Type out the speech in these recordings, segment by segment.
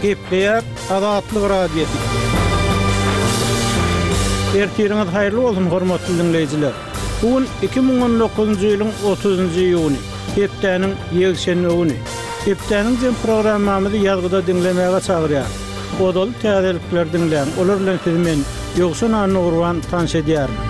Gepleýär Azatlyk Radiosy. Ertiriňiz haýyrly bolsun, hormatly diňleýjiler! Bu gün 2019-njy ýylyň 30-njy iýuny, hepdäniň ýekşenbe güni. Hepdäniň jem programmamyzy ýazgyda diňlemäge çagyrýarys. Ozaly täzelikleri diňläň, olar bilen sizi men, Ýowşan Annagurban, tanyş edýärin.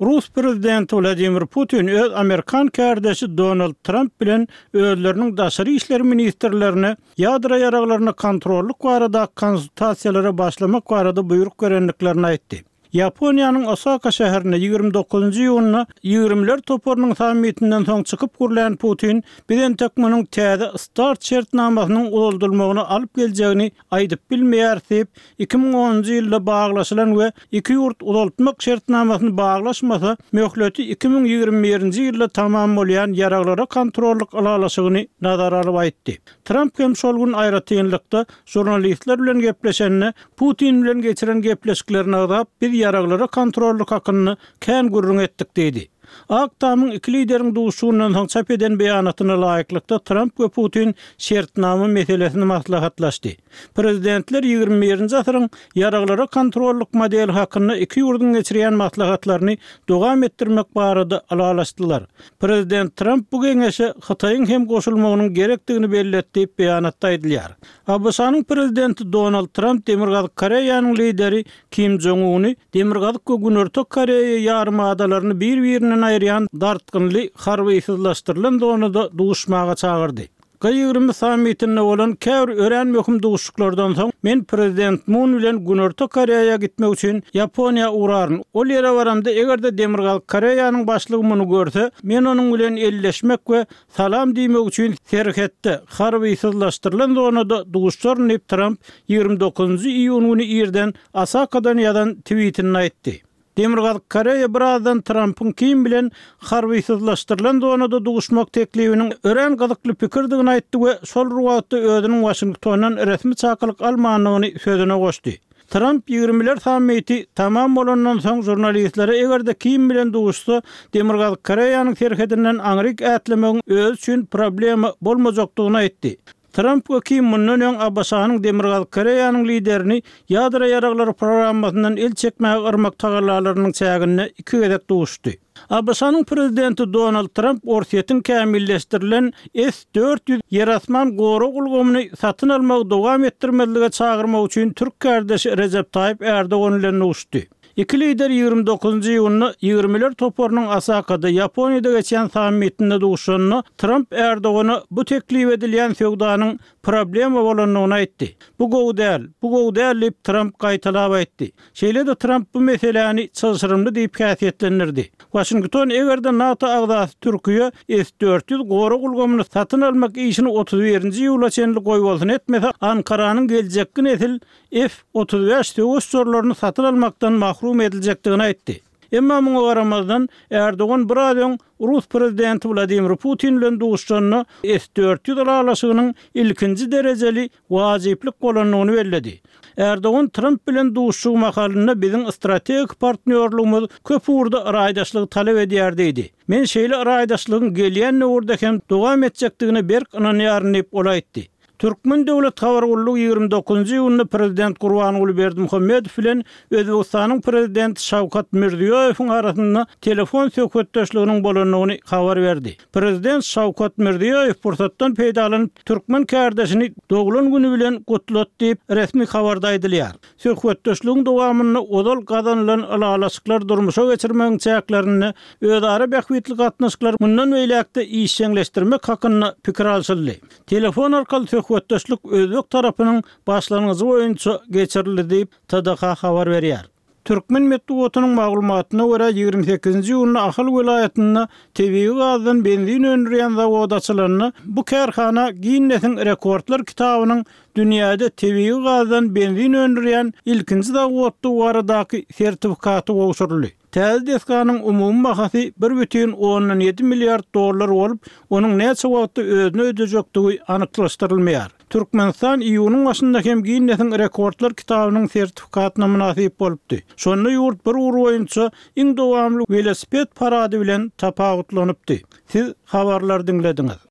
Rus prezidenti Wladimir Putin öz amerikan kärdeşi Donald Tramp bilen özleriniň daşary işler ministrlerine ýadro ýaraglaryna kontrollyk baradaky konsultasiýalara başlamak barada buýruk berendiklerini aýtdy. Ýaponiýanyň Osaka şäherinde 29 njy iýunda Ýigrimiler toparynyň sammitinden soň çykyp gürlän Putin, Biz entek munuň täze start şertnamasynyň uzaldylmagyna alyp geljegini aýdyp bilmeýäris diýip, 2010-njy ýylda baglaşylan we iki ýurt uzaltmak şertnamasyny baglaşmasa, möhleti 2021-nji ýylda tamam bolýan ýaraglara kontrollyk ylalaşygyny nazara alyp aýtdy. Tramp hem şol gün aýratynlykda žurnalistler bilen gepleşende, Putin bilen geçiren gepleşiklerini agzap, biz ýaraglara kontrollyk hakynda kän gürrüň etdik diýdi. Ak Tamyň iki lideriň duşuşygyndan soň çap eden beýanatyna laýyklykda, Tramp we Putin şertnama meselesini maslahatlaşdy. Prezidentler ýigrimi birinji asyryň ýaraglara kontrollyk modeli hakynda iki ýurduň geçirýän maslahatlaryny dowam etdirmek barada ylalaşdylar. Prezident Tramp bu geňeşe Hytaýyň hem goşulmagynyň gerekdigini belledi diýip, beýanatda aýdylýar. ABŞ-nyň Prezidenti Donald Tramp Demirgazyk Koreýanyň lideri Kim Jong Uny Demirgazyk we Günorta Koreýa ýarymadalaryny bir-birinden aýyrýan dartgynly harbysyzlaşdyrylan zonada duşmaga çagyrdy. G 20 sammitinde bolan käbir örän möhüm duşuşyklardan soň, men Prezident Mun bilen Günorta Koreýa gitmek üçin Ýaponiýa ugraryn. Ol ýere baramda, eger-de Demirgazyk Koreýanyň başlygy muny görse, men onuň bilen elleşmek we Salam diýmek üçin serhetde, harbysyzlaşdyrylan zonada duşaryn diýip, Tramp 29-njy iýun güni irden Osakadan ýazan twitinde aýtdy. Demirgazyk Koreýa birazdan Trampyň Kim bilen harbysyzlaşdyrylan zonada duşmak teklibiniň örän gyzykly pikirdigini aýtdy we şol bir wagtda özüniň Waşingtondan resmi çakylyk almandygyny sözüne goşdy. Tramp ýigrimiler sammiti tamam bolandan soň žurnalistlere eger-de Kim bilen duşsa, Demirgazyk Koreýanyň serhedinden aňryk ätlemegiň özi üçin problema bolmajakdygyny aýtdy. Tramp we Kim mundan öň ABŞ-nyň Demirgazyk Koreýanyň liderini ýadro ýaraglary programmasyndan el çekmäge yrmak tagallalarynyň çäginde iki gezek duşdy. ABŞ-nyň Prezidenti Donald Tramp Orsýetiň kämilleşdirilen S 400 ýer-asman gorag ulgamyny satyn almagy dowam etdirmezlige çagyrmak üçin türk kärdeşi Rejep Taýyp Ärdogan bilen duşdy. Iki lider 29-njy iýunda Ýigrimiler toparynyň Osakada, Ýaponiýada geçýän sammitinde duşanda, Tramp Ärdogana bu teklip edilýän söwdanyň problema bolandygyny aýtdy. Bu gowy däl, bu gowy däl diýip, Tramp gaýtalap aýtdy. Şeýle-de Tramp bu meseläni çylşyrymly diýip häsiýetlendirdi. Waşington eger-de NATO agzasy Türkiýe S 400 gorag ulgamyny satyn almak işini 31-nji iýula çenli goýbolsun etmese, Ankaranyň geljekki nesil F 35 söweş uçarlaryny satyn almakdan mahrum ediljekdigini aýtdy. Emma muňa garamazdan, Ärdogan biraz öň rus prezidenti Wladimir Putin bilen duşuşanda S 400 ylalaşygynyň ilkinji derejeli wajyplyk bolandygyny belledi. Ärdogan Tramp bilen duşuşygy mahalynda biziň strategik partnýorlygymyz köp ugurda raýdaşlygy talap edýär diýdi. Men şeýle raýdaşlygyň gelýän döwürde hem dowam etjekdigine berk ynanýaryn diýip, ol aýtdy. Türkmen döwlet habar gullugy 29-njy iýunda prezident Gurbanguly Berdimuhamedow bilen Özbegistanyň prezidenti Şawkat Mirziýoýewiň arasynda telefon söhbetdeşliginiň bolandygyny habar berdi. Prezident Şawkat Mirziýoýew pursatdan peýdalanyp, türkmen kärdeşini doglan güni bilen gutlady diýip, resmi habarda aýdylýar. Söhbetdeşligiň dowamynda ozal gazanylan ylalaşyklary durmuşa geçirmegiň çäklerinde özara bähbitli gatnaşyklary mundan beýläk-de işjeňleşdirmek hakynda pikir alşyldy. Telefon arkaly söhbetdeşlik özbek tarapynyň başlangyjy boýunça geçirildi diýip, TDH habar berýär. Türkmen metbugatynyň maglumatyna görä, 28-nji iýunda Ahal welaýatynda tebigy gazdan benzin öndürýän zawod açylanda, bu kärhana Ginnesiň rekordlar kitabynyň dünýäde tebigy gazdan benzin öndürýän ilkinji zawoddygy baradaky sertifikaty gowşuryldy. Täze desganyň umumy bahasy bir bütin ondan ýedi milliard dollar bolup, onuň näçe wagtda özüni ödejekdigi anyklaşdyrylmaýar. Türkmenistan iýunyň başynda hem Ginnesiň rekordlar kitabynyň sertifikatyna mynasyp bolupdy. Şonda ýurt bir ugur boýunça iň dowamly welosiped parady bilen tapawutlanypdy. Siz habarlary diňlediňiz.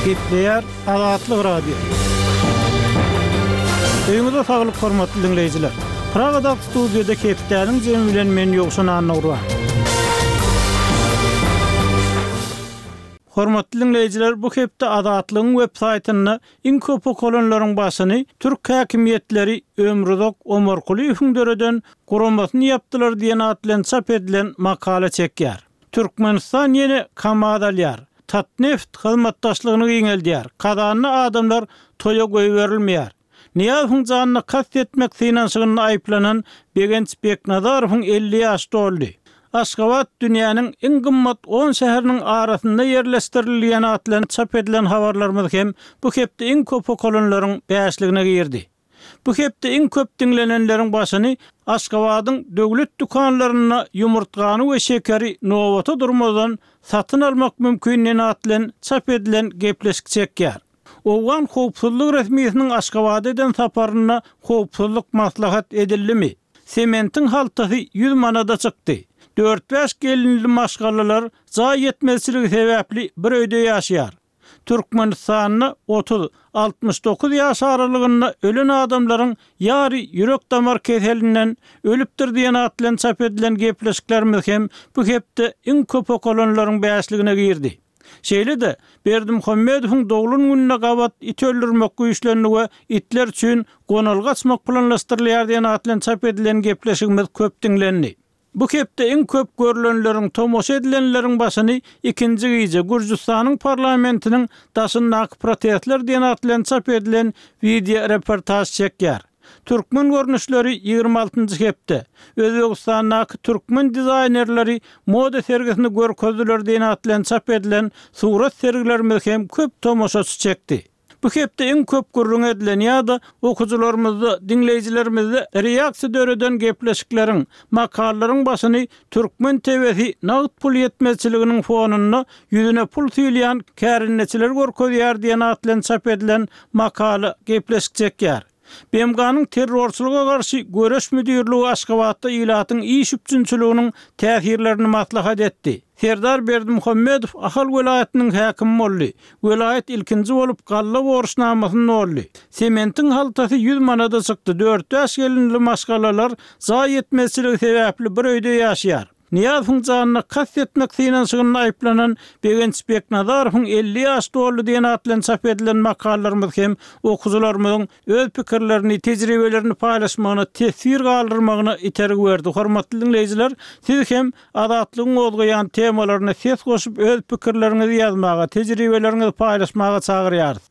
Gepleýär Azatlyk Radiosy. Öýüňize saglyk hormatly diňleýjiler. Pragadaky studiýada hepdäniň jemi bilen men Ýowşan Annagurban. Hormatly diňleýjiler, bu hepde Azatlygyň web saýtynda iň köp okalanlaryň başyny türk häkimiýetleri Ömruzak Omarkulyýewiň döreden guramasyny ýapdylar diýen at bilen çap edilen makala çekýär. Türkmenistan ýene KAMAZ alýar. Tatneft hyzmatdaşlygyny giňeldýär. Kazanda adamlar toýa goýberilmeýär. Nyýazowyň janyna kast etmek synanyşygynda aýyplanan Begenç Beknazarowyň 50 ýaşy doldy. Aşgabat dünýäniň iň gymmat on şäheriniň arasynda ýerleşdirildi diýen at bilen çap edilen habarlarymyz hem bu hepde iň köp okalanlaryň bäşligine girdi. Bu hepde iň köp diňlenenleriň başyny Aşgabadyň döwlet dükanlarynda ýumurtgany we şekeri nobata durmazdan satyn almak mümkin diýen at bilen çap edilen gepleşik çekýär. Owgan howpsuzlyk resmisiniň Aşgabada eden saparynda howpsuzlyk maslahat edildimi? Sementiň haltasy 100 manada çykdy. Dört-bäş gelinli maşgalalar jaý ýetmezçiligi sebäpli bir öýde ýaşaýar. Türkmenistanda 30, 69 ýaş aralygynda ölen adamlaryň ýary ýürek-damar keselinden ölüpdir diýen at bilen çap edilen gepleşiklerimiz hem bu hepde iň köp okalanlaryň bäşligine girdi. Şeýle-de, Berdimuhamedowyň doglan gününe gabat it öldürmek güýçlendi we itler üçin gonalga açmak planlaşdyrylýar diýen at bilen çap edilen gepleşigimiz köp diňlendi. Bu hepde iň köp görlenleriň, tomaşa edilenleriň başyny ikinji gije Gürjüstanyň parlamentiniň daşyndaky protestler diýen at bilen çap edilen wideoreportaž çekýär. Türkmen görnüşleri 26-njy hepde, Özbegistandaky türkmen dizaýnerleri moda sergisini görkezdiler diýen at bilen çap edilen surat sergilerimiz hem köp tomaşaçy çekdi. Bu hepde iň köp gürrüň edilen ýa-da okyjylarymyzda, diňleýjilerimizde reaksiýa döreden gepleşikleriň, makalalaryň başyny türkmen TW-si nagt pul ýetmezçiliginiň fonunda ýüzüne pul süýlýän kärendeçileri görkezýär diýen at bilen çap edilen makala, gepleşik çekýär. BMG-niň Terrorçylyga garşy göreş müdirligi Aşgabatda ilatyň iş üpjünçiliginiň täsirlerini maslahat etdi. Serdar Berdimuhamedow Ahal welaýatynyň häkimi boldy. Welaýat ilkinji bolup galla borçnamasyny doldy. Sementiň haltasy 100 manada çykdy, dört-bäş gelinli maşgalalar jaý ýetmezçiligi sebäpli bir öýde ýaşaýar. Nyýazowyň janyna kast etmek synanyşygynda aýyplanan Begenç Beknazarowyň 50 ýaş doldy diýen at bilen çap edilen makalalarymyz hem okyjylarymyzyň öz pikirlerini, tejribelerini paýlaşmagyna, teswir galdyrmagyna itergi berdi. Hormatly diňleýjiler, siz hem Azatlygyň gozgaýan temalaryna ses goşup öz pikirleriňizi ýazmaga, tejribeleriňizi paýlaşmaga çagyrýarys.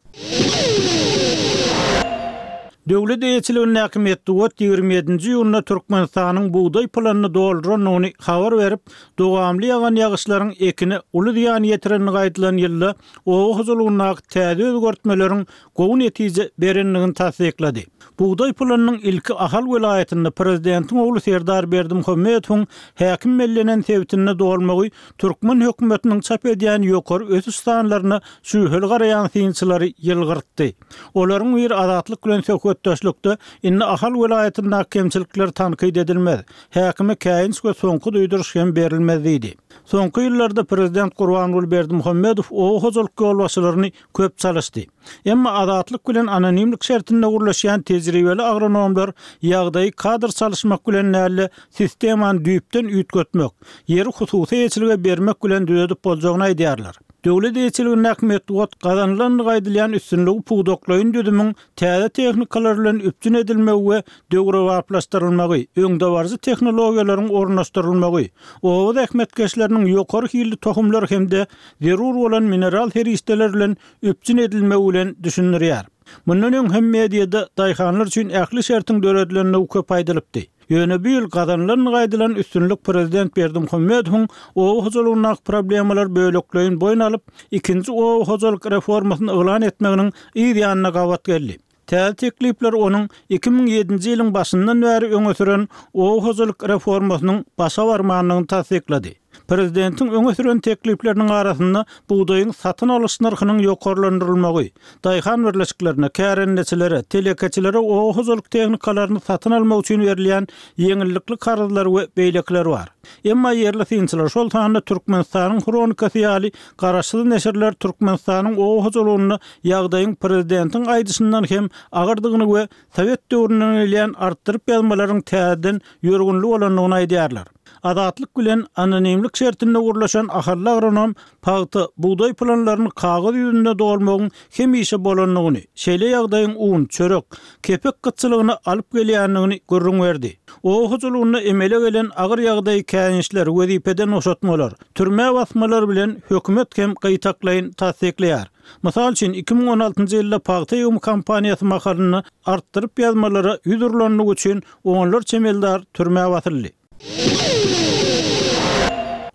Döwlet eýeçiligindäki metbugat 27-nji iýunda Türkmenistanyň bugdaý planyny doldurandygyny habar berip, dowamly ýagan ýagyşlaryň ekine uly zyýan ýetirendigi aýdylan ýylda oba hojalygyndaky täze özgertmeleriň gowy netije berendigini tassyklady. Bugdaý planynyň ilki Ahal welaýatynda prezidentiň ogly Serdar Berdimuhamedowyň häkim bellenen sebitinde dolmagy türkmen hökümetiniň çap edýän ýokary ösüş sanlaryna şübheli garaýan synçylary ýylgyrtdy. Olaryň biri Azatlyk bilen söhbetdeşlikde indi Ahal welaýatyndaky kemçilikler tankyt edilmez, häkime käýinç we soňky duýduryş hem berilmez diýdi. Soňky ýyllarda prezident Gurbanguly Berdimuhamedow oba hojalyk ýolbaşçylaryny köp çalyşdy. Emma Azatlyk bilen anonimlik şertinde gürleşýän tejribeli agronomlar ýagdaýy kadr çalyşmak bilen däl-de, sistemany düýpden üýtgetmek, ýeri hususy eýeçilige bermek bilen düzedip boljagyny aýdýarlar. Döwlet eýeçiligindäki metbugat gazanylandygy aýdylýan üstünligi pudaklaýyn düzümiň täze tehnikalar bilen üpjün edilmegi we döwrebaplaşdyrylmagy, öňdebaryjy tehnologiýalaryň ornaşdyrylmagy, oba zähmetkeşleriniň ýokary hilli tohumlar hem-de zerur bolan mineral serişdeler bilen üpjün edilmegi bilen düşündirýär. Mundan öň hem mediada daýhanlar üçin ähli şertiň döredilendigi köp aýdylypdy. Ýöne bu ýyl gazanylandygy aýdylan üstünlik prezident Berdimuhamedowyň oba hojalygyndaky problemalary bölekleýin boýun alyp, ikinji oba hojalyk reformasyny yglan etmeginiň yz ýanyna gabat geldi. Täze teklipler onuň 2007-nji ýylyň başyndan bäri öňe süren oba hojalyk reformasynyň başa barmandygyny tassyklady. Prezidentiň öňe süren teklipleriniň arasynda bugdaýyň satyn alyş nyrhynyň ýokarlandyrylmagy, daýhan birleşiklerine, kärendeçilere, telekeçilere oba hojalyk tehnikalaryny satyn almak üçin berilýän ýeňillikli karzlar we beýlekiler bar. Emma ýerli synçylar, şol sanda Türkmenistanyň Hronikasy ýaly garaşsyz neşirler Türkmenistanyň oba hojalygynda ýagdaýyň prezidentiň aýdyşyndan hem agyrdygyny we sowet döwründen gelýän artdyryp ýazmalaryň täzeden ýörgünli bolandygyny aýdýarlar. Azatlyk bilen anonimlik şertinde gürleşen ahally agronom pagta, bugdaý planlaryny kagyz ýüzünde dolmagyň hemişe bolandygyny, şeýle ýagdaýyň un, çörek, kepek gytçylygyna alyp gelýändigini gürrüň berdi. Oba hojalygynda emele gelen agyr ýagdaýy käýinçler, wezipeden boşatmalar, türmä basmalar bilen hökümet hem gytaklaýyn tassyklaýar. Mysal üçin, 2016-njy ýylda pagta ýygymy kampaniýasy mahalynda artdyryp ýazmalara ýüz urlandygy üçin onlarça emeldar türmä basyldy.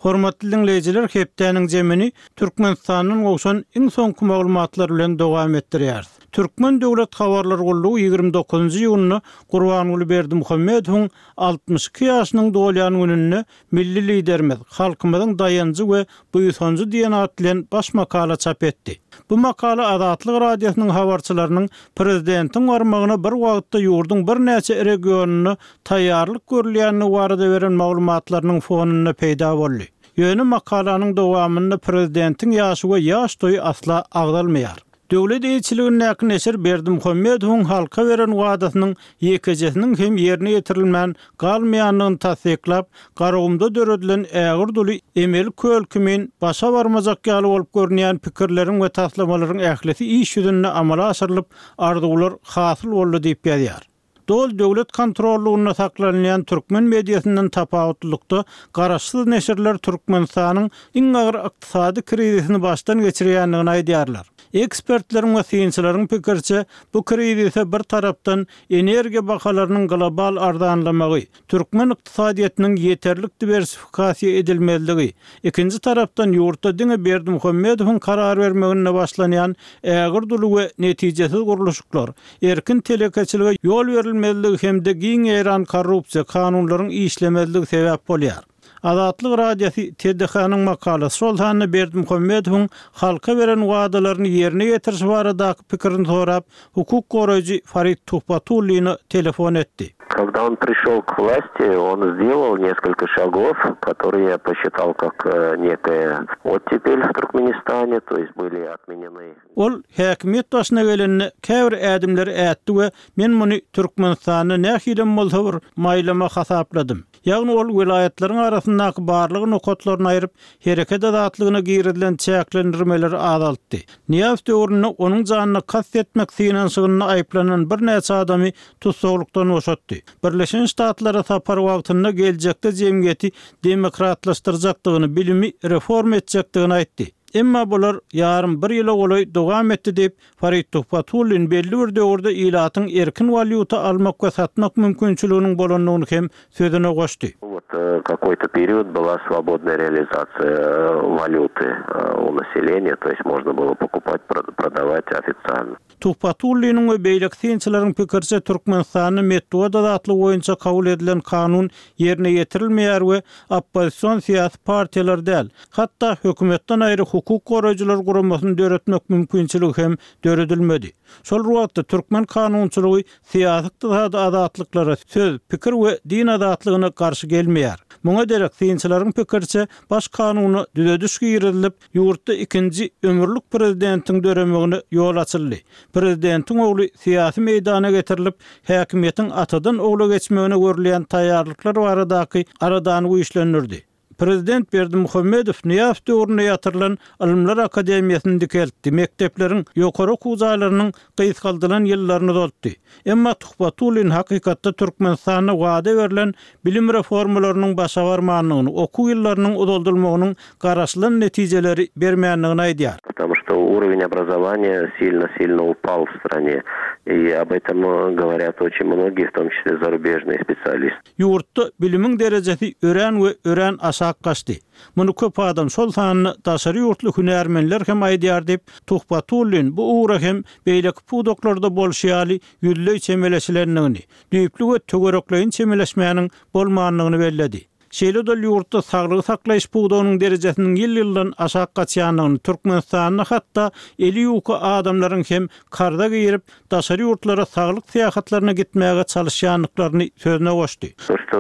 Hormatly diňleýjiler, hepdäniň jemini Türkmenistandan gowşan iň soňky maglumatlar bilen dowam etdirýäris. Türkmen döwlet habarlar gullugy 29-njy iýunda Gurbanguly Berdimuhamedowyň 62 ýaşynyň dolýan gününde Milli Liderimiz, halkymyzyň daýanjy we buýsanjy diýen at bilen baş makala çap etdi. Bu makala Azatlyk Radiosynyň habarçylarynyň prezidentiň barmagyna bir wagtda ýurduň birnäçe regionynda taýýarlyk görülýändigi barada beren maglumatlarynyň fonunda peýda boldy. Ýöne makalanyň dowamynda prezidentiň ýaşy we ýaş toýy asla agzalmaýar. Döwlet eýeçiligindäki neşir Berdimuhamedowyň halka beren wadasynyň ýekejesiniň hem ýerine ýetirilmän galmaýandygyny tassyklap, Garagumda döredilen ägirt uly emeli köl kimin başa barmajak ýaly bolup görünýän pikirleriň we taslamalaryň ählisi iş ýüzünde amala aşyrylyp, arzuwlar hasyl boldy diýip ýazýar. Doly döwlet kontrollygynda saklanylýan türkmen mediasyndan tapawutlylykda, garaşsyz neşirler Türkmenistanyň iň agyr ykdysady krizisini başdan geçirýändigini aýdýarlar. Ekspertleriň we synçylaryň pikiriçe, bu krizise bir tarapdan energiýa bahalarynyň global arzanlamagy, türkmen ykdysadyýetiniň ýeterlik diwersifikasiýa edilmezligi, ikinji tarapdan ýurtda diňe Berdimuhamedowyň karar bermeginde başlanýan ägirt uly we netijesiz gurluşyklar, erkin telekeçilige ýol berilmezligi hem-de giň ýaýran korrupsiýa, kanunlaryň işlemezligi sebäp bolýar. Azatlyk Radiosy TDH-nyň makalasy, şol sanda Berdimuhamedowyň halka beren wadalaryny ýerine ýetirişi baradaky pikirini sorap, hukuk goraýjy Farid Tuhbatullina telefon etdi. Когда он пришел к власти, он сделал несколько шагов, которые я посчитал как некая оттепель в Туркменистане, то есть были отменены. Ol häkimiýet başyna gelende käbir ädimleri ätdi we men muny Türkmenistanda nähilem bolsa bir maýlama hasapladym. Ýagny ol welaýatlaryň arasyndaky barlag nokatlaryny aýryp, hereket azatlygyna girizilen çäklendirmeleri azaltdy. Nyýazow döwründe onuň janyna kast etmek synanyşygynda aýyplanan birnäçe adamy tussaglykdan boşatdy. Birleşen Ştatlara sapary wagtynda geljekde jemgyýeti demokratlaşdyrjakdygyny, bilimi reforma etjekdigini aýtdy. Emma bular ýarym bir ýyla golaý dowam etdi diýip, Farid Tuhbatullin belli bir döwürde ilatyň erkin walýuta almak we satmak mümkinçiliginiň bolandygyny hem sözüne goşdy. Wot kakoý-to period byla swobodnaýa realizasiýa walýuty u naseleniýa, to ýest možno bylo pokupat, prodavat ofitsialno. Tuhbatulliniň we beýleki synçylaryň pikiriçe, Türkmenistanda metbugat azatlygy boýunça kabul edilen kanun ýerine ýetirilmeýär we oppozision syýasy partiýalar däl, hatda hökümetden aýry hukuk goraýjylar guramasyny döretmek mümkinçiligi hem döredilmedi. Şol bir wagtda, türkmen kanunçylygy syýasy-ykdysady azatlyklara, söz, pikir we din azatlygyna garşy gelmeýär. Muňa derek, synçylaryň pikiriçe, Baş kanuna düzediş girizilip, Ýurtda ikinji ömürlik prezidentiň döremegine ýol açyldy. Prezidentiň ogly syýasy meýdana getirilip, häkimiýetiň atadan ogla geçmegine görülýän taýýarlyklar baradaky aladany güýçlendirdi. Prezident Berdimuhamedow Nyýazow döwründe ýatyrylan Ylymlar akademiýasyny dikeltdi, mekdepleriň, ýokary okuw jaýlarynyň gysgaldylan ýyllaryny uzaltdy. Emma Tuhbatullin hakykatda Türkmenistanda wada berlen bilim reformalarynyň başa barmandygyny, okuw ýyllarynyň uzaldylmagynyň garaşylan netijeleri bermändigini aýdýar. Потому что уровень образования сильно-сильно упал в стране. И об этом говорят очень многие, в том числе зарубежные специалисты. Ýurtda bilimiň derejesi örän we örän aşak gaçdy. Muny köp adam, şol sanda daşary ýurtly hünärmenler hem aýdýar diýip, Tuhbatullin bu ugra hem beýleki pudaklarda bolşy ýaly ýüzleý çemeleşilendigini, düýpli we töwerekleýin çemeleşmäniň bolmandygyny belledi. Şeýle-de ol ýurtda saglygy saklaýyş pudagynyň derejesiniň ýyl-ýyldan aşak gaçýandygyny, Türkmenistanda hatda eli ýuka adamlaryň hem karza girip, daşary ýurtlara saglyk syýahatlaryna gitmäge çalyşýandyklaryny sözüne goşdy. То, что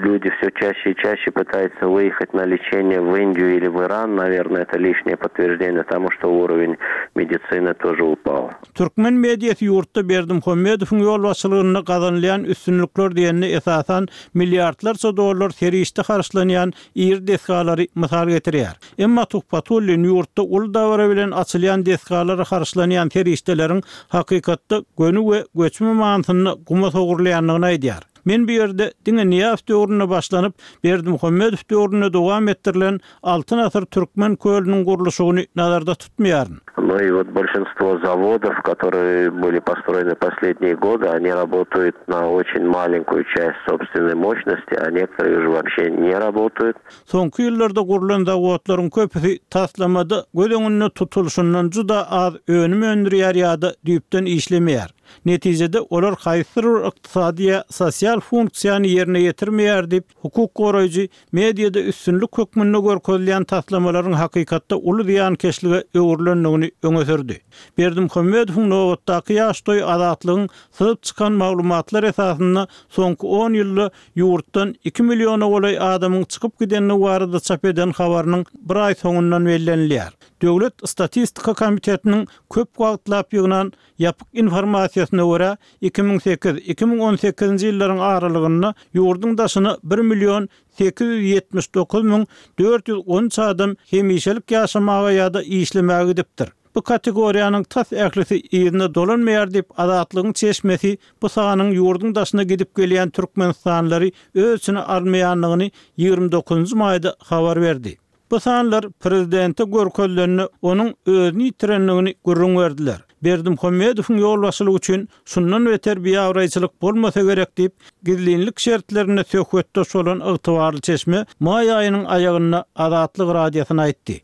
люди все чаще и чаще пытаются выехать на лечение в Индию или в Иран, наверное, это лишнее подтверждение тому, что уровень медицины тоже упал. Türkmen mediasy ýurtda Berdimuhamedowyň ýolbaşçylygynda gazanylýan üstünlikler diýende esasan milliardlarça dollar serişde harçlanýan iri desgalary mysal getirýär. Emma Tuhbatullin ýurtda uly dabara bilen açylýan desgalara harçlanýan serişdeleriň hakykatda göni we göçme manysynda guma sogrulýandygyny aýdýar. Men bu ýerde diňe Nyýazow döwründe başlanyp, Berdimuhamedow döwründe dowam etdirilen Altyn asyr türkmen kölüniň gurluşygyny nazarda tutmaýaryn. Ну и вот большинство заводов, которые были построены последние годы, они работают на очень маленькую часть собственной мощности, а некоторые уже вообще не работают. Soňky ýyllarda gurlan zawodlaryň köpüsi taslamada göz öňünde tutulyşyndan juda az önüm öndürýär ýa-da düýpden işlemeýär. Netijede, olar haýsydyr bir ykdysady ýa sosial funksiýany ýerine ýetirmeýär diýip, hukuk goraýjy mediada üstünlik hökmünde görkezilýän taslamalaryň hakykatda uly zyýankeşlige öwrülendigini öňe sürdi. Berdimuhamedowyň nobatdaky ýaş toýy Azatlygyň syzyp çykan maglumatlar esasynda soňky on ýylda ýurtdan iki milliona golaý adamyň çykyp gidendigi barada çap eden habarynyň bir aý soňundan bellenilýär. Döwlet statistika komitetiniň köp wagtlap ýygnan ýapyk informasiýasyna görä, 2008, 2018-nji ýyllaryň aralygynda ýurduň daşyna bir million 879 müň 413 adam hemişelik ýaşamaga ýa-da işlemäge gidipdir. Bu kategoriýanyň tas ählisi yzyna dolanmaýar diýip, Azatlygyň çeşmesi bu sanyň ýurduň daşyna gidip gelýän türkmenistanlylary öz içine almaýandygyny 29 nji maýda habar berdi. Bu sanlar prezidente görkezilende onuň özüni ýitirendigini gürrüň berdiler. Berdimuhamedowyň ýolbaşçylygy üçin şundan beter biabraýçylyk bolmasa gerek diýip, gizlinlik şertlerinde söhbetdeş bolan ygtybarly çeşme maý aýynyň aýagynda Azatlyk Radiosyna aýtdy.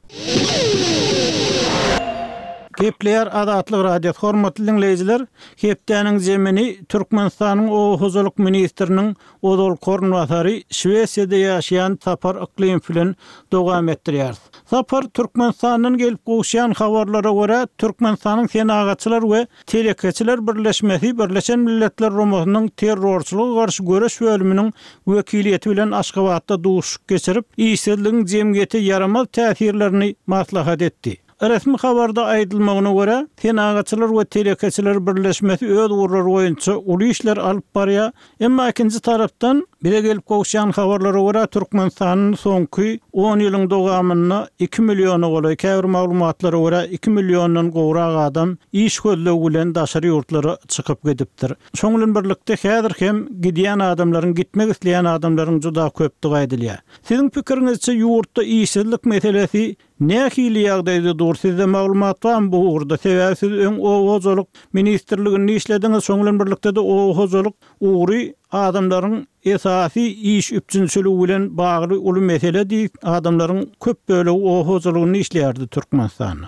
Gepleýär Azatlyk Radiosy Hormatly diňleýjiler, hepdäniň zemini Türkmenistanyň Oba hojalyk ministriniň ozalky orunbasary Şwesiýada ýaşaýan Sapar Yklymow bilen dowam etdirýäris. Sapar, Türkmenistandan gelip gowuşýan habarlara görä, Türkmenistanyň Senagatçylar we Telekeçiler birleşmesi Birleşen Milletler Guramasynyň Terrorçylyga garşy göreş bölüminiň wekiliýeti bilen Aşgabatda duşuşyk geçirip, işsizligiň jemgyýete ýaramaz täsirlerini maslahat etdi. Resmi habarda aýdylmagyna görä, Senagatçylar we telekeçiler birleşmesi öz ugurlary boýunça uly işler alyp barýar. Emma ikinji tarapdan, bize gelip gowuşýan habarlara görä, Türkmenistanda soňky on ýylyň dowamynda iki milliona golaý, käbir maglumatlara görä, iki milliondan gowrak adam iş gözlegi bilen daşary ýurtlara çykyp gidipdir. Şonuň bilen birlikde, häzir hem gidýän adamlaryň, gitmek isleýän adamlaryň juda köpdügi aýdylýar. Siziň pikiriňizçe, ýurtda işsizlik meselesi Nähili ýagdaýda dur sizde maglumat barmy bu ugurda sebäbi siz öň oba hojalyk ministrliginde işlediňiz şoň bilen birlikdede oba hojalyk ugry adamlaryň esasy iş üpjünçiligi bilen bagly uly meseledi adamlaryň köp bölegi oba hojalygynda işleýärdi Türkmenistanda.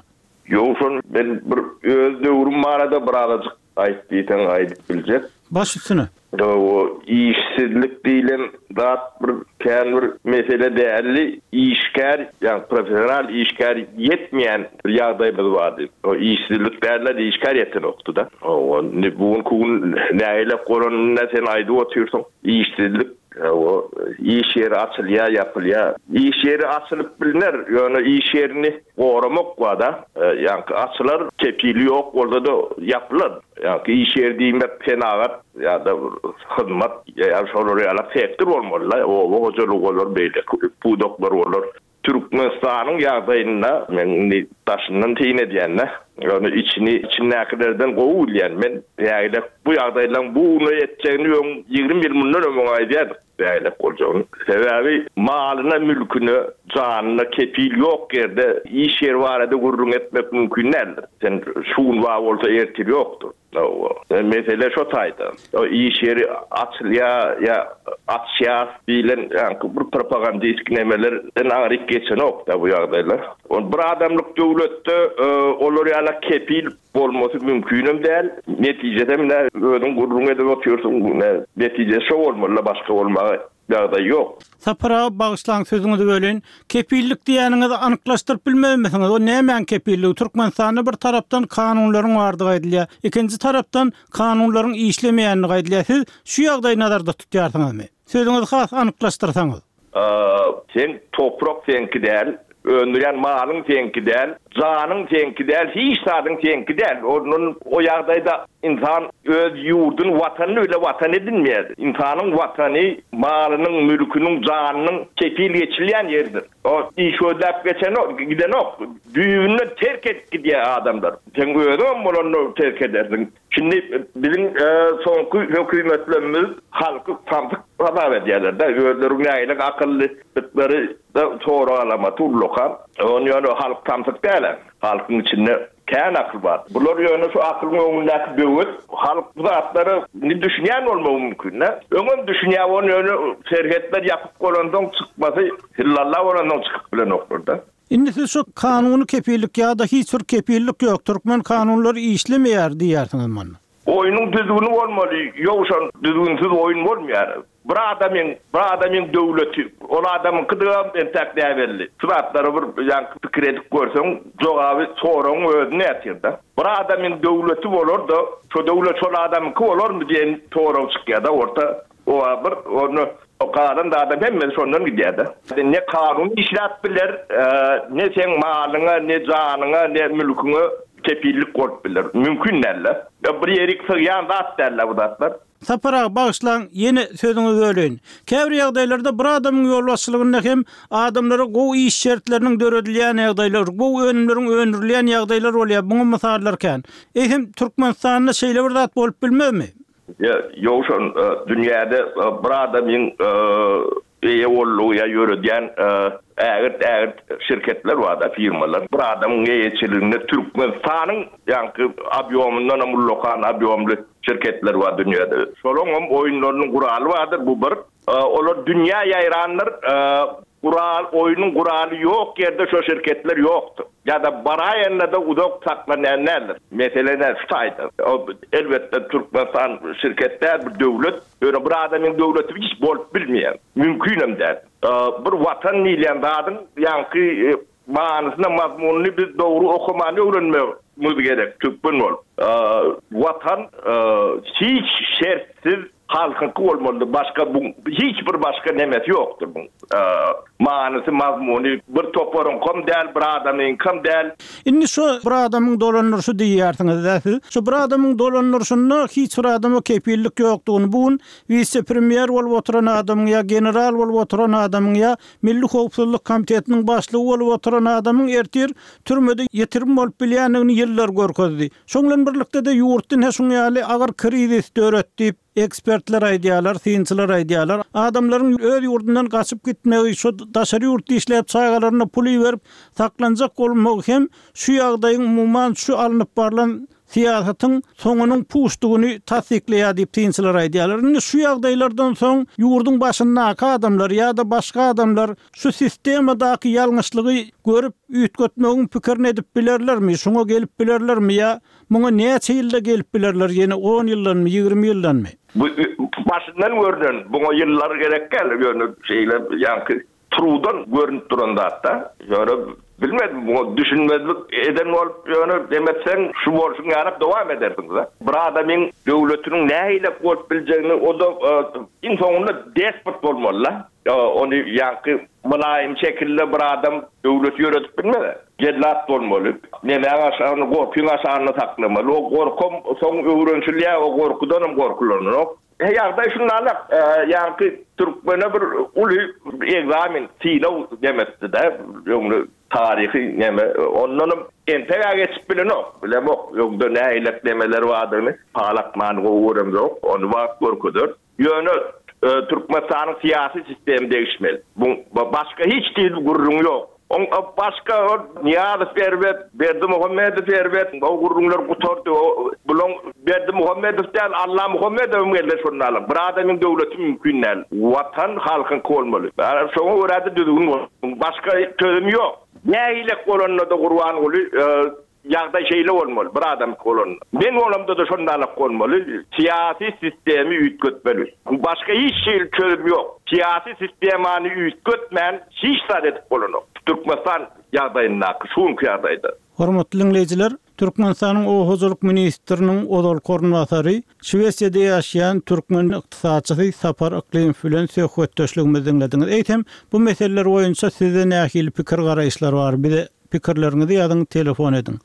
Ýowşan men bir öz döwrüm barada birazajyk Aýt diýseň aýdyp biljek. Baş üstüne. O işsizlik diýlen zat bir kän bir mesele däldi. Işgär, ýagny professional işgär ýetmeýän bir ýagdaýymyz bardy. O işsizlik däldi, işgär ýetenokdy-da. Hawa, indi bu günki gün nägilek bolanyny sen aýdyp otyrsyň. Işsizlik, hawa, iş ýeri açylýar, ýapylýar. Iş ýeri açylyp bilner, ýöne iş ýerini Goramak bar-da. Ýaňky açylar, kepili ýok bolsa-da ýapylar. Ýaňky iş ýeri diýmek senagat ýa-da hyzmat ýa şolar ýaly sektor bolmaly-da. Oba hojalygy bolar, beýleki pudaklar bolar. Türkmenistanyň ýagdaýynda men indi daşyndan syn edýän-de, ýöne içini içindäkilerden gowy bilýän men. Nägile bu ýagdaýlaryň bu güne ýetjegini öň 20 ýyl mundan öň aýdýardyk. Beýlek boljagyny. Sebäbi malyna, mülküne, janyna kepil ýok ýerde iş ýeri barada gürrüň etmek mümkin däldir. Sen şu gün bar bolsa ertir ýokdur. Hawa. Mesele şo taýda. O iş ýeri açylýar ýa açýas diýlen ýaňky bir propagandistik nemelerden aňryk geçenok-da bu ýagdaýlar. Ol bir adamlyk döwletde olar ýala kepil Bolmasy mümkinem däl. Netijesem ine özüň gürrüň edip otyrsyň. Ine netijesi şo bolmaly-da başga bolmaga. ýagdaý ýok. Sapar aga bagyşlaň sözüňizi böleýin. Kepillik diýýäniňizi anyklaşdyryp bilmezmisiňiz? O nämäň kepilligi? Türkmenistanda bir tarapdan kanunlaryň bardygy aýdylýar. Ikinji tarapdan kanunlaryň işlemeýändigi aýdylýar. Siz şu ýagdaýy nazarda tutýarsyňyzmy? Sözüňizi has anyklaşdyrsaňyz. Seň toprak seňki däl, öndürýän malyň seňki däl, janyň seňki däl, hiç zadyň seňki däl. Ondan o ýagdaýda ynsan öz ýurduny, watanyny bile watan edinmeýär. Ynsanyň watany malynyň, mülküniň, janynyň kepil geçilýän ýeridir. O iş gözläp geçenok, gidenok. Düýbünden terk edip gidýär adamlar. Seň özüňem bolanda terk edersiň. Şindi biziň soňky hökümetlerimiz halky samsyk hasap edýärler-de, özleri nähili akyllydyklary-da sorag alamaty ullakan. Ony ýöne halk samsyk däl-ä, halkyň içinde kän akyl bar. Bular ýöne şu akylyň öňündäki böwet, halk bu zatlara indi düşünýän bolmagy mümkin-dä. Öňem düşünýär, ony ýöne serhetler ýapyk bolansoň çykmasy hillalla bolansoň çykyp bilenoklar-da. Indi siz şu kanuny kepillik ýa-da hiç bir kepillik ýok, türkmen kanunlary işlemeýär diýýärsiňiz munda. Oýnuň düzgüni bolmaly, ýowşan düzgünsiz oýun bolmaýar. Bir adamyň, bir adamyň döwleti, ol adamyňkydygam entäk näbelli. Şu zatlary bir ýaňky pikir edip görseň, jogaby soragyň özünde ýatyr-da. Bir adamyň döwleti bolar-da, şo döwlet şol adamyňky bolarmy diýen sorag çykýar-da orta. Oba bir ony galan zadam hemmesi şondan gidýär-de. Ne kanun işläp biler, ne seň malyňa, ne janyňa, ne mülküňe kepillik bolup biler. Mümkin däl-de. Bir ýerik sygýan zat däl-de bu zatlar. Sapar aga, bagyşlaň, ýene sözüňizi böleýin. Käbir ýagdaýlarda bir adamyň ýolbaşçylygynda hem adamlara gowy iş şertleriniň döredilýän ýagdaýlar, gowy önümleriň öndürilýän ýagdaýlar bolýar, muňa mysallar kän. Eýsem, Türkmenistanda şeýle bir zat bolup bilmezmi? Ýowşan, dünýäde bir adamyň eýe boldugy ýa ýöredýän ägirt-ägirt şirketler bar-da, firmalar. Bir adamyň eýeçiliginde Türkmenistanyň ýaňky obýomyndanam ullakan obýomly şirketler bar dünýäde. Şolaňam oýunlarynyň guraly bardyr, bu bir. Olar dünýä ýaýrandyr. Gural, oýnuň guraly ýok ýerde şo şirketler ýokdur. Ýa-da baraýanda-da uzak saklanýan däldir. Mesele nä şu taýda. Elbetde Türkmenistan şirket däl, bir döwlet. Ýöne bir adamyň döwleti hiç bolup bilmeýär. Mümkinem däl. Bir watan diýilýän zadyň ýaňky manysyna, mazmunyny biz dogry okamany öwrenmegimiz gerek türkmen bolup. Watan hiç şertsiz Halkyňky bolmalydyr başga buň hiç bir başga nemesi ýokdur buň manysy mazmuny bir toparyňkam däl bir adamyňkam däl. Indi şu bir adamyň dolandyryşy diýýärsiňiz-dä siz. Şu bir adamyň dolandyryşynda hiç bir adama kepillik ýokdugyny bu gün wise-premýer bolup oturan adamyň ýa general bolup oturan adamyň ýa Milli howpsuzlyk komitetiniň başlygy bolup oturan adamyň ertir türmede ýitirim bolup bilýändigini ýyllar görkezdi. Şoň bilen birlikde-de ýurtda ine şuň ýaly agyr krizis döret diýip, ekspertler aýdýarlar, synçylar aýdýarlar. Adamlaryň öz ýurdundan gaçyp gitmegi, şu daşary ýurtda işläp çagalaryna pul iberip saklanjak bolmagy hem şu ýagdaýyň umuman şu alnyp barlan syýasatyň soňunyň puçdugyny tassyklaýar diýip synçylar aýdýarlar. Indi şu ýagdaýlardan soň ýurduň başyndaky adamlar ýa-da başga adamlar Şu sistemadaky ýalňyşlygy görüp, üýtgetmegiň pikirini edip bilerlermi, şuňa gelip bilerlermi ýa muňa näçe ýylda gelip bilerler, ýene on ýyldanmy, 20 ýyldanmy? Bu başyndan görnen, buňa ýyllar gerek däl, ýöne şeýle ýaňky trudan görnüp duran zat-da. Ýöne bilmedim, buňa düşünmezlik eden bolup, ýöne dem etseň, şu bolşuň ýaly dowam edersiň-de. Bir adamyň döwletiniň nähili bolup biljegini, o-da iň soňunda despot bolmaly-da. Ony ýaňky mylaýym şekilde bir adam döwlet ýöredip bilmez. Jellat bolmaly. Nemäň aşagynda, gorkyň aşagynda saklamaly. O gorkam soň öwrenişilýär, o gorkudanam gorkulanok. Ýagdaý şundanrak, ýaňky türkmene bir uly ekzamen, synag demekdi-de, öňde taryhy neme, ondanam entek-ä geçip bilenok, bilemok, öňde nähilek nemeler bardygyny, pal atmany gowy göremzok, ony wagt görkezer. Ýöne Türkmenistanyň syýasy sistemi degişmeli. Buň başga hiç hili gürrüň ýok. Oň başga ol Nyýazow erbet, Berdimuhamedow erbet, o gürrüňler gutardy. O bulaň Berdimuhamedow däl, Allamuhamedowam gelse şonda alyň. Bir adamyň döwleti mümkin däl. Watan halkyňky bolmaly. Şoňa görä-de düzgün bolmaly. Başga çözüm ýok. Nähilek bolanda-da Gurbanguly. Ýagdaý şeýle bolmaly, bir adamky bolanda. Men bolamda-da şondalak bolmaly. Syýasy sistemi üýtgetmeli. Başga hiç hili çözüm ýok. Syýasy sistemany üýtgetmän hiç zat edip bolanok. Türkmenistan ýagdaýyndaky, şu günki ýagdaýda. Hormatly diňleýjiler, Türkmenistanyň Oba hojalyk ministriniň ozalky orunbasary, Şwesiýada ýaşaýan türkmen ykdysatçysy Sapar Yklymow bilen söhbetdeşligimizi diňlediňiz. Eýsem, bu meseleler boýunça sizde nähili pikir-garaýyşlar bar? Bize pikirleriňizi ýazyň, telefon ediň.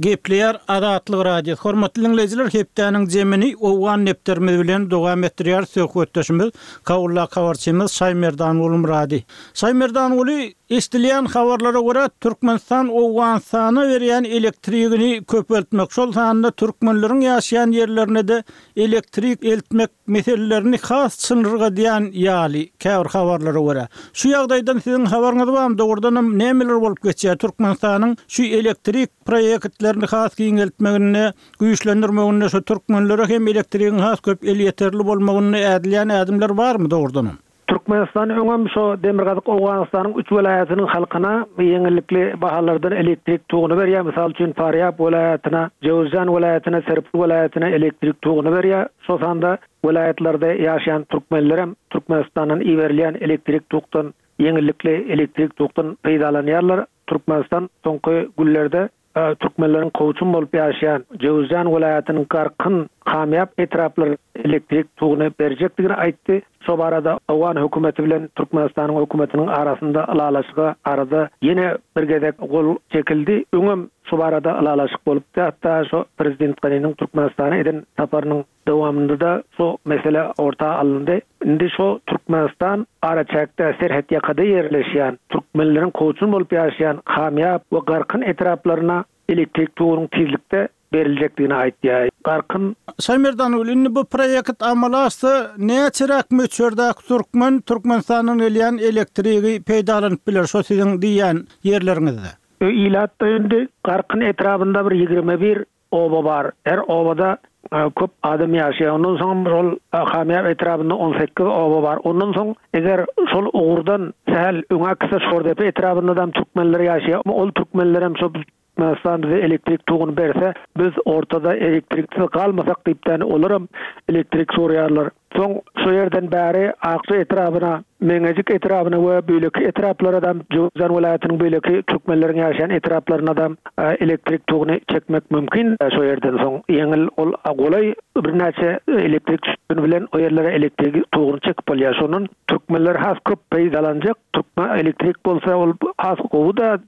Gepleýär Azatlyk Radiosy. Hormatly diňleýjiler, hepdäniň jemini Owgan depderimiz bilen dowam etdirýär söhbetdeşimiz, Kabuldaky habarçymyz Şaýmerdanguly Myrady. Şaýmerdanguly, eşidilýän habarlara görä, Türkmenistan Owganystana berýän elektrigini köpeltmek, şol sanda türkmenleriň ýaşaýan ýerlerine-de elektrik eltmek meselelerini has çynlyrgadýan ýaly, käbir habarlara görä. Şu ýagdaýdan siziň habaryňyz barmy, dogrudanam nämeler bolup geçýär Türkmenistanyň şu elektrik proýektlerini has giňeltmeginde, güýçlendirmeginde şu türkmenlere hem elektrigiň has köp elýeterli bolmagynda ädilýän ädimler barmy dogrudanam? Türkmenistan öňem şo Demirgazyk Owganystanyň üç welaýatynyň halkyna ýeňillikli bahalardan elektrik toguny berýär. Mysal üçin, Farýab welaýatyna, Jöwüzjan welaýatyna, Serpil welaýatyna elektrik toguny berýär. Şo sanda welaýatlarda ýaşaýan türkmenlerem Türkmenistandan iberilýän elektrik tokdan ýeňillikli elektrik tokdan peýdalanýarlar. Türkmenistan soňky günlerde Türkmenleriň kowçum bolup ýaşaýan Jöwüzjan welaýatynyň Garkyn, Kamýap etraplaryna elektrik toguny berjekdigini aýtdy. Şo barada owgan hökümeti bilen Türkmenistanyň hökümetiniň arasynda ylalaşyga arada ýene bir gezek gol çekildi. Öňem şu barada ylalaşyk bolupdy. Hatda şo prezident Ganiniň Türkmenistana eden saparynyň Dowamynda-da şu mesele orta alyndy. Indi şu Türkmenistan araçäkde, serhetýakada ýerleşýän, türkmenleriň kowçum bolup ýaşaýan Kamýap we Garkyn etraplaryna elektrik togunyň tizlikde beriljekdigini aýtýar. Garkyn. Şaýmerdanguly, indi bu proýekt amala aşsa, näçeräk möçberdäki türkmen Türkmenistandan gelýän elektrigi peýdalanyp biler şo siziň diýýän ýerleriňizde? Ilatda indi Garkyn etrabynda bir 21 Oba bar. Her obada köp adam ýaşaýar. Ondan soňam şol Hamýap etrabynda 18 oba bar. Ondan soň eger şol ugurdan sähel öňe gitse Şordepe etrabynda-dam türkmenler ýaşaýar. Ol türkmenlerem şo Türkmenistan bize elektrik toguny berse, biz ortada elektriksiz galmasak diýipdäni olaram elektrik soraýarlar. Soň şo ýerden bäri Akja etrabyna, Meňejik etrabyna we beýleki etraplara-da, Jöwüzjan welaýatynyň beýleki türkmenleriň ýaşaýan etraplaryna-da elektrik toguny çekmek mümkin. Şo ýerden soň ýeňil ol golaý birnäçe elektrik sütüni bilen o ýerlere elektrik toguny çekip bolýar. Şondan türkmenler has köp peýdalanjak. Türkmen elektrik bolsa ol has gowy-da,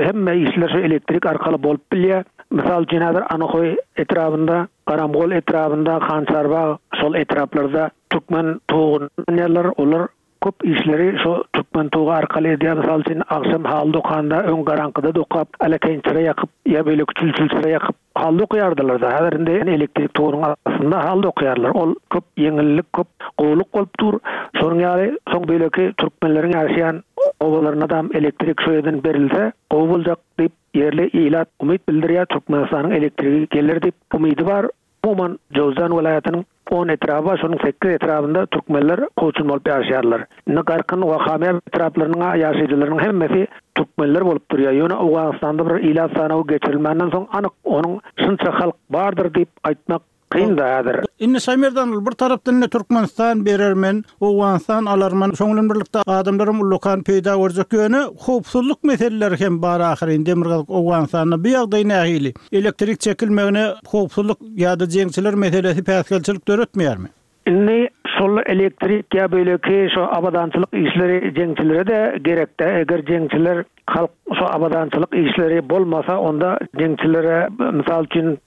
hemme işler şo elektrik arkaly bolup bilýär. Mysal üçin häzir Anahoý etrabynda Garamgol etrabynda Hançarbag şol etraplarda türkmen toguny ulanýarlar. Olar köp işleri şo türkmen togy arkaly edýär. Mysal üçin, agşam haly dokanda öň garaňkyda dokap, alekeýin çyra ýakyp ýa beýleki çül-çül çyra ýakyp haly dokaýardylar-da. Häzir indi elektrik togunyň astynda haly dokaýarlar. Ol köp ýeňillik, köp gowulyk bolup dur. Şonuň ýaly soň beýleki türkmenleriň ýaşaýan obalarynadam elektrik şo ýerden berilse gowy boljak diýip Ýerli ilat umyt bildirýär, Türkmenistanyň elektrigi geler diýip umydy bar. Umuman, Jowzjan welaýatynyň on etraby bar, şonuň sekiz etrabynda türkmenler kowçum bolup ýaşaýarlar. Indi Garkyn we Hamýap etraplarynyň ýaşaýjylarynyň hemmesi türkmenler bolup durýar. Ýöne Owganystanda bir ilat sanawy geçirilmänden soň anyk onuň şunça halk bardyr diýip aýtmak Kyn-da häzir. Indi Şaýmerdan ol bir tarapdan indi Türkmenistan berermen, Owganystan alarman, şoň bilen birlikde adamlaram ullakan peýda görjek. Ýöne howpsuzlyk meseleleri hem bar ahyryn Demirgazyk Owganystanda. Bu ýagdaý nähili? Elektrik çekilmegine howpsuzlyk ýa-da jeňçiler meselesi päsgelçilik döretmeýärmi? Indi şol elektrik ýa beýleki şo abadançylyk işleri jeňçilere-de gerek-dä. Eger jeňçiler halk şo abadançylyk işleri bolmasa onda jeňçilere mysal üçin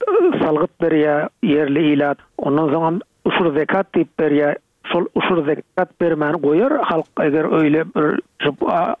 salgyt berýär ýerli ilat. Ondan soňam uşur zekat diýip berýär. Şol uşur zekat bermäni goýar halk eger öýle bir şu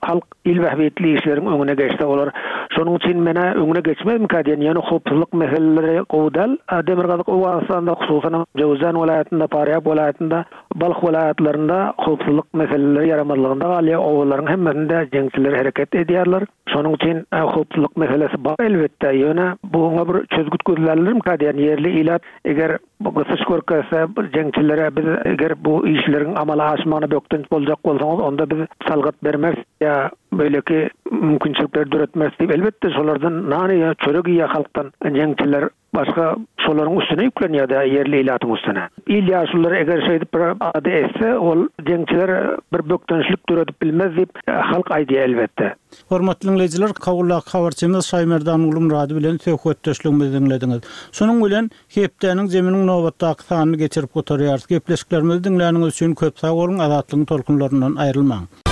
halk il bähbitli işleriň öňüne geçse olar. Şonuň üçin menä öňüne geçmezmikä diýen ýöne howpsuzlyk meseleleri gowy däl. Demirgazyk Owganystanda hususanam Jöwüzjan welaýatynda, Farýab welaýatynda, Balh welaýatlarynda howpsuzlyk meseleleri ýaramazlygynda galýar. Obalaryň hemmesinde jeňçiler hereket edýärler. Şonuň üçin howpsuzlyk meselesi bar elbetde, ýöne buňa bir çözgüt gözlärlermikä diýen ýerli ilat eger Bu gysyş görkezse, jeňçilere biz eger bu işleriň amala aşmagyna bökdenç boljak bolsaňyz, onda biz salgyt bermeris ýa beýleki. mümkinçilikleri döretmeris diýip, elbetde, şolardan nan iýýär, çörek iýýär halkdan jeňçiler. Başga şolaryň üstüne ýüklenýär-dä, ýerli ilatyň üstüne. Il ýaşululary eger şeýdip bir alada etse, ol jeňçiler bir bökdençlik döredip bilmez diýip, halk aýdýar, elbetde. Hormatly diňleýjiler, Kabuldaky habarçymyz Şaýmerdan Gulmyrady bilen söhbetdeşligimizi diňlediňiz. Şunuň bilen, hepdäniň zeminiň nobatdaky sanyny geçirip gutarýarys. Gepleşiklerimizi diňläniňiz üçin köp sag boluň, Azatlygyň tolkunlaryndan aýrylmaň!